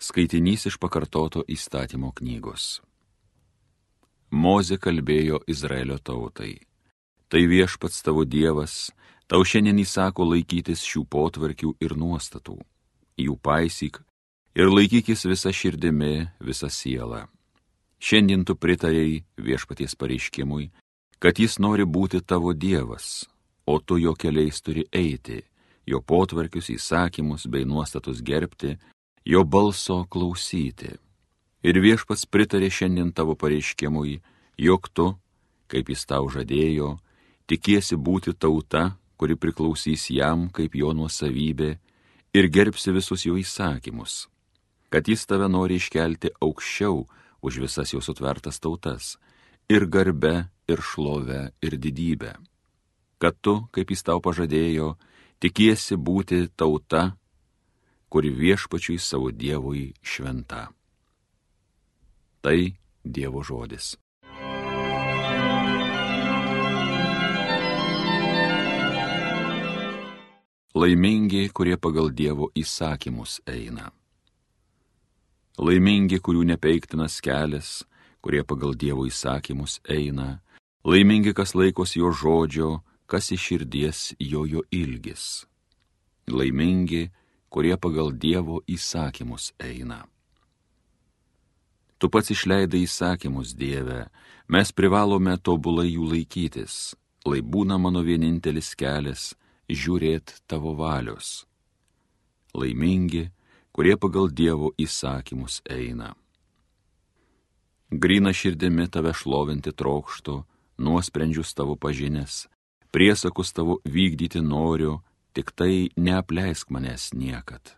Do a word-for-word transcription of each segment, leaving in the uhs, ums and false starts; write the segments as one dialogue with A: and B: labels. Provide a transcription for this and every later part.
A: Skaitinys iš pakartoto įstatymo knygos. Mozė kalbėjo Izraelio tautai. Tai viešpats tavo Dievas, tau šiandien įsako laikytis šių potvarkių ir nuostatų. Jų paisyk ir laikykis visa širdimi, visa siela. Šiandien tu pritarėjai viešpaties pareiškimui, kad jis nori būti tavo Dievas, o tu jo keliais turi eiti, jo potvarkius, įsakymus bei nuostatus gerbti, jo balso klausyti. Ir viešpats pritarė šiandien tavo pareiškimui, jog tu, kaip jis tau žadėjo, tikiesi būti tauta, kuri priklausys jam kaip jo nuosavybė ir gerbsi visus jo įsakymus, kad jis tave nori iškelti aukščiau už visas jo sutvertas tautas, ir garbe, ir šlove, ir didybę. Kad tu, kaip jis tau pažadėjo, tikiesi būti tauta, kuri viešpačiui savo Dievui šventa. Tai Dievo žodis. Laimingi, kurie pagal Dievo įsakymus eina. Laimingi, kurių nepeiktinas kelias, kurie pagal Dievo įsakymus eina. Laimingi, kas laikos jo žodžio, kas iš širdies jojo ilgis. Laimingi, kurie pagal Dievo įsakymus eina. Tu pats išleidai įsakymus, Dieve, mes privalome tobulai jų laikytis, lai būna mano vienintelis kelias žiūrėt tavo valios. Laimingi, kurie pagal Dievo įsakymus eina. Gryna širdimi tave šlovinti trokštu, nuosprendžius tavo pažinęs, priesakus tavo vykdyti noriu, tik tai neapleisk manęs niekad.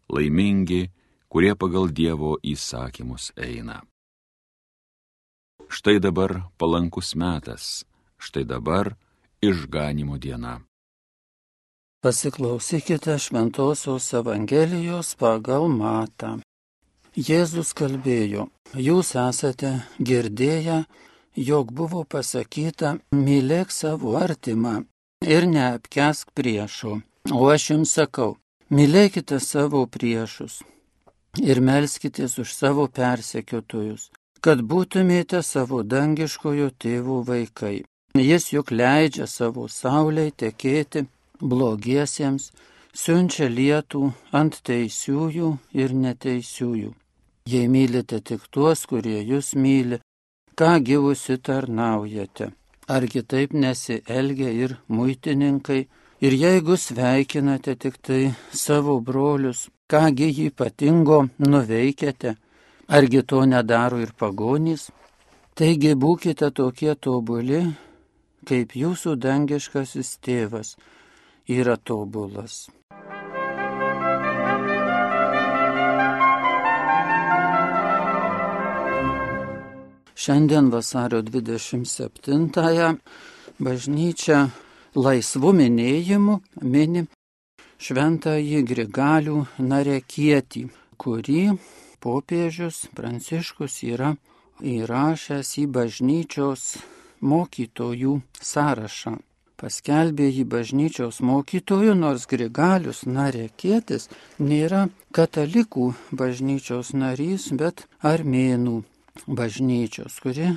A: Laimingi, kurie pagal Dievo įsakymus eina. Štai dabar palankus metas, štai dabar išganymo diena.
B: Pasiklausykite Šventosios Evangelijos pagal Matą. Jėzus kalbėjo, jūs esate girdėję, jog buvo pasakyta, mylėk savo artimą ir neapkęsk priešo. O aš jums sakau, mylėkite savo priešus ir melskitės už savo persekiotojus, kad būtumėte savo dangiškojo tėvo vaikai. Jis juk leidžia savo saulei tekėti blogiesiems, siunčia lietų ant teisiųjų ir neteisiųjų. Jei mylite tik tuos, kurie jūs myli, ką gyvusi tarnaujate? Argi taip nesielgia ir muitininkai? Ir jeigu sveikinate tik tai savo brolius, kągi jį ypatingo nuveikėte? Argi to nedaro ir pagonys? Taigi būkite tokie tobuli, kaip jūsų dangiškasis tėvas yra tobulas. Šiandien vasario dvidešimt septintąją bažnyčia laisvų minėjimų mini šventąjį Grigalių Narekietį, kurį popiežius Pranciškus yra įrašęs į bažnyčios mokytojų sąrašą. Paskelbė jį bažnyčios mokytojų, nors Grigalius Narekietis nėra katalikų bažnyčios narys, bet armėnų bažnyčios, kuri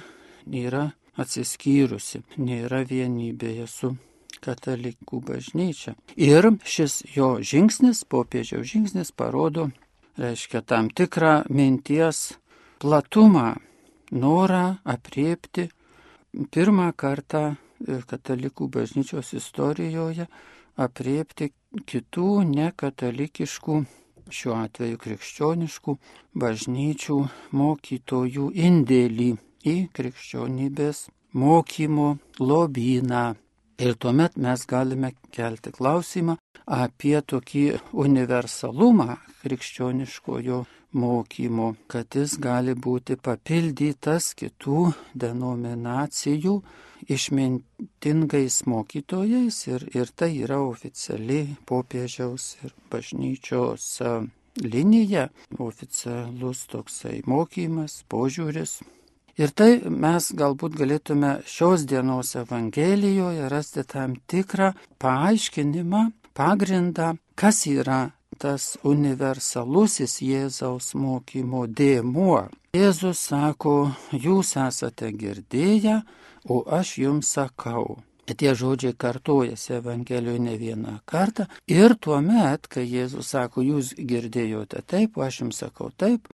B: yra atsiskyrusi, nėra vienybėje su katalikų bažnyčia. Ir šis jo žingsnis, popiežiaus žingsnis, parodo, reiškia tam tikrą minties platumą, norą apriepti pirmą kartą katalikų bažnyčios istorijoje, apriepti kitų nekatalikiškų, šiuo atveju krikščioniškų bažnyčių mokytojų indėlį į krikščionybės mokymo lobyną. Ir tuomet mes galime kelti klausimą apie tokį universalumą krikščioniškojo mokymo, kad jis gali būti papildytas kitų denominacijų išmintingais mokytojais ir, ir tai yra oficiali popiežiaus ir bažnyčios linija, oficialus toksai mokymas, požiūris. Ir tai mes galbūt galėtume šios dienos Evangelijoje rasti tam tikrą paaiškinimą, pagrindą, kas yra tas universalusis Jėzaus mokymo dėmuo. Jėzus sako, jūs esate girdėję, o aš jums sakau. Tie žodžiai kartojasi Evangelijoje ne vieną kartą. Ir tuomet, kai Jėzus sako, jūs girdėjote taip, o aš jums sakau taip,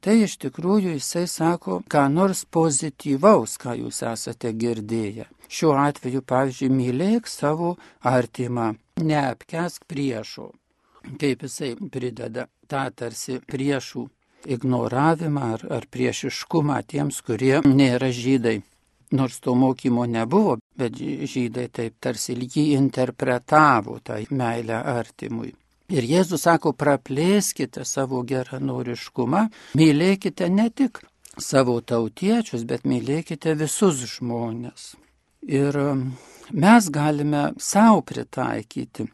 B: tai iš tikrųjų jisai sako, ką nors pozityvaus, ką jūs esate girdėję. Šiuo atveju, pavyzdžiui, mylėk savo artimą, neapkęsk priešo. Kaip jisai prideda tą tarsi priešų ignoravimą ar, ar priešiškumą tiems, kurie nėra žydai. Nors to mokymo nebuvo, bet žydai taip tarsi jį interpretavo, tą meilę artimui. Ir Jėzus sako, praplėskite savo geranoriškumą, mylėkite ne tik savo tautiečius, bet mylėkite visus žmonės. Ir mes galime savo pritaikyti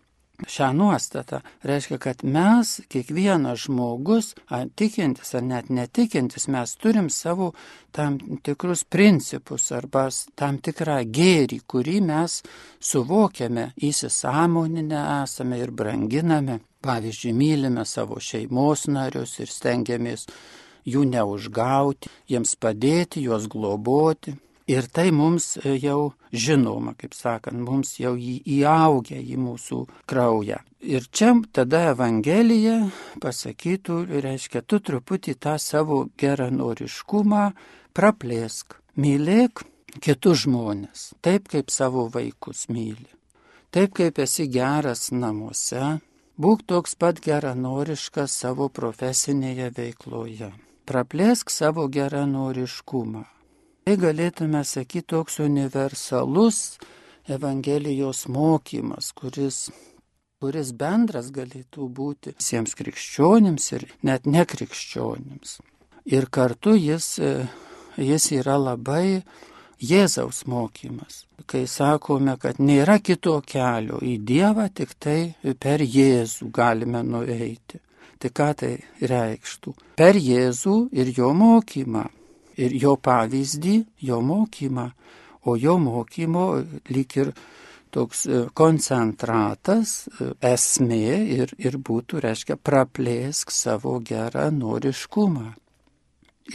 B: šią nuostatą. Reiškia, kad mes, kiekvienas žmogus, ar tikintis ar net netikintis, mes turim savo tam tikrus principus arba tam tikrą gėrį, kurį mes suvokiame, įsisąmoninę esame ir branginame. Pavyzdžiui, mylime savo šeimos narius ir stengiamės jų neužgauti, jiems padėti, juos globoti. Ir tai mums jau žinoma, kaip sakant, mums jau įaugia į mūsų kraują. Ir čia tada Evangelija pasakytų, reiškia, tu truputį tą savo geranoriškumą praplėsk. Mylėk kitus žmonės, taip kaip savo vaikus myli. Taip kaip esi geras namuose, būk toks pat geranoriškas savo profesinėje veikloje. Praplėsk savo geranoriškumą. Tai galėtume sakyti toks universalus Evangelijos mokymas, kuris, kuris bendras galėtų būti visiems krikščionims ir net nekrikščionims. Ir kartu jis, jis yra labai Jėzaus mokymas, kai sakome, kad nėra kito kelio į Dievą, tik tai per Jėzų galime nueiti. Tai ką tai reikštų? Per Jėzų ir jo mokymą. Ir jo pavyzdį, jo mokymą, o jo mokymo lyg ir toks koncentratas, esmė ir, ir būtų, reiškia, praplėsk savo geranoriškumą.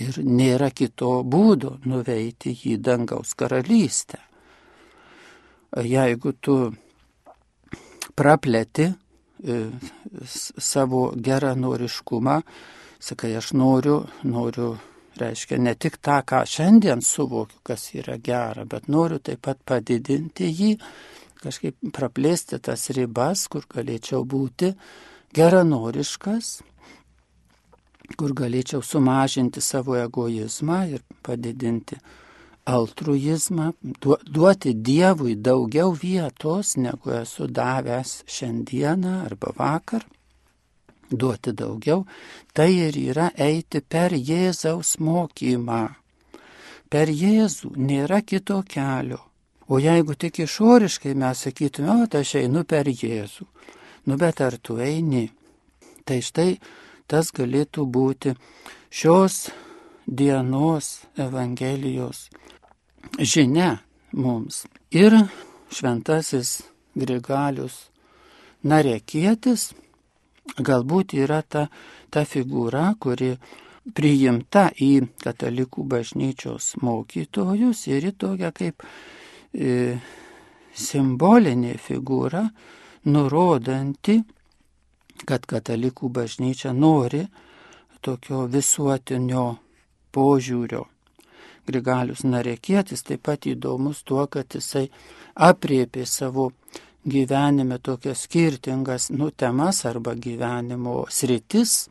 B: Ir nėra kito būdo nuveiti į dangaus karalystę. Jeigu tu praplėti e, savo geranoriškumą, sakai, aš noriu, noriu, reiškia, ne tik tą, ką šiandien suvokiu, kas yra gera, bet noriu taip pat padidinti jį, kažkaip praplėsti tas ribas, kur galėčiau būti geranoriškas, kur galėčiau sumažinti savo egoizmą ir padidinti altruizmą, duoti Dievui daugiau vietos, negu esu davęs šiandieną arba vakar. Duoti daugiau, tai ir yra eiti per Jėzaus mokymą. Per Jėzų nėra kito kelio. O jeigu tik išoriškai mes sakytume, o tai aš einu per Jėzų, nu bet ar tu eini? Tai štai tas galėtų būti šios dienos Evangelijos žinia mums. Ir šventasis Grigalius Narekietis galbūt yra ta, ta figūra, kuri priimta į katalikų bažnyčios mokytojus ir į tokią kaip e, simbolinė figūra, nurodanti, kad katalikų bažnyčia nori tokio visuotinio požiūrio. Grigalius Narekietis taip pat įdomus tuo, kad jisai apriepė savo gyvenime tokias skirtingas nu, temas arba gyvenimo sritis,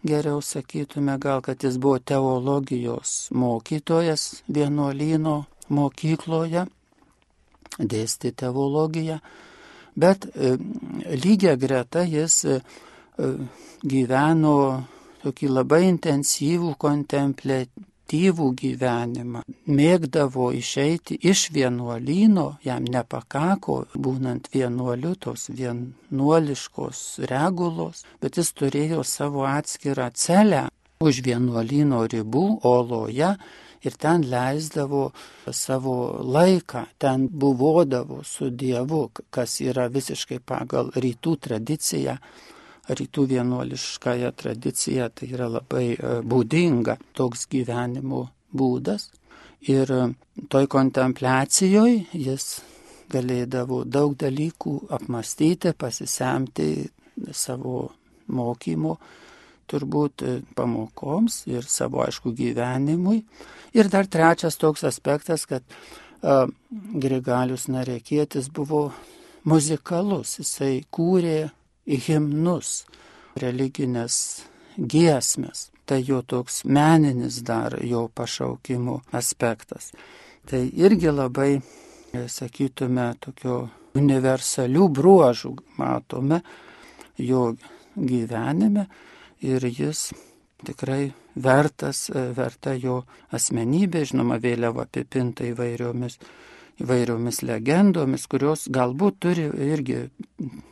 B: geriau sakytume gal, kad jis buvo teologijos mokytojas vienuolyno mokykloje, dėstė teologiją, bet e, lygia greta jis e, gyveno tokį labai intensyvų kontempliatyvų gyvenimą. Mėgdavo išeiti iš vienuolyno, jam nepakako, būnant vienuoliu, tos vienuoliškos regulos, bet jis turėjo savo atskirą celę už vienuolyno ribų, oloje, ir ten leisdavo savo laiką, ten buvodavo su Dievu, kas yra visiškai pagal rytų tradiciją rytų vienuoliškąją tradiciją, tai yra labai būdinga toks gyvenimo būdas. Ir toj kontempliacijoje jis galėdavo daug dalykų apmastyti, pasisemti savo mokymo, turbūt pamokoms ir savo, aišku, gyvenimui. Ir dar trečias toks aspektas, kad uh, Grigalius Narekietis buvo muzikalus, jisai kūrė himnus, religinės giesmes. Tai jo toks meninis dar jo pašaukimo aspektas. Tai irgi labai, sakytume, tokio universalių bruožų matome jo gyvenime ir jis tikrai vertas, verta jo asmenybė, žinoma, vėliau apipinta įvairiomis, įvairiomis legendomis, kurios galbūt turi irgi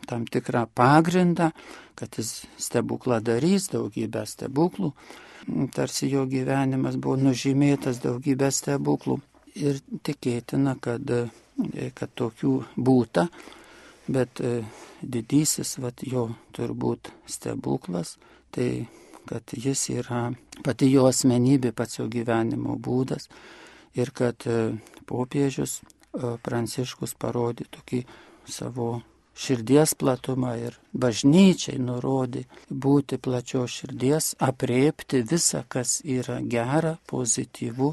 B: tam tikrą pagrindą, kad jis stebukladarys, daugybę stebuklų, tarsi jo gyvenimas buvo nužymėtas daugybę stebuklų ir tikėtina, kad, kad tokių būta, bet didysis vat, jo turbūt stebuklas, tai kad jis yra pati jo asmenybė, pats jo gyvenimo būdas ir kad popiežius Pranciškus parodė tokį savo širdies platumą ir bažnyčiai nurodė būti plačios širdies, apriepti visą, kas yra gera, pozityvu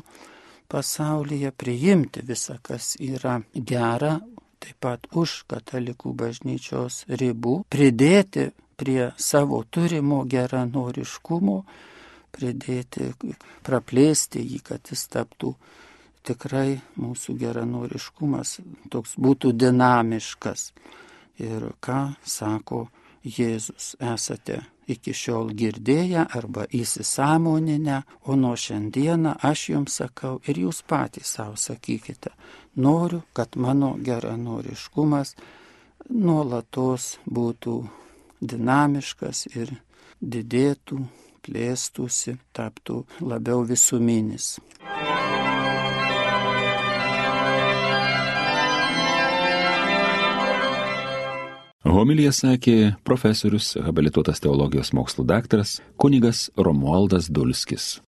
B: pasaulyje, priimti visą, kas yra gera, taip pat už katalikų bažnyčios ribų, pridėti prie savo turimo geranoriškumo, pridėti, praplėsti jį, kad jis taptų tikrai mūsų geranoriškumas, toks būtų dinamiškas. Ir ką sako Jėzus, esate iki šiol girdėję arba įsisąmoninę, o nuo šiandieną aš jums sakau ir jūs patys savo sakykite, noriu, kad mano geranoriškumas nuolatos būtų dinamiškas ir didėtų, plėstųsi, taptų labiau visuminis.
A: Homiliją sakė profesorius, habilituotas teologijos mokslų daktaras kunigas Romualdas Dulskis.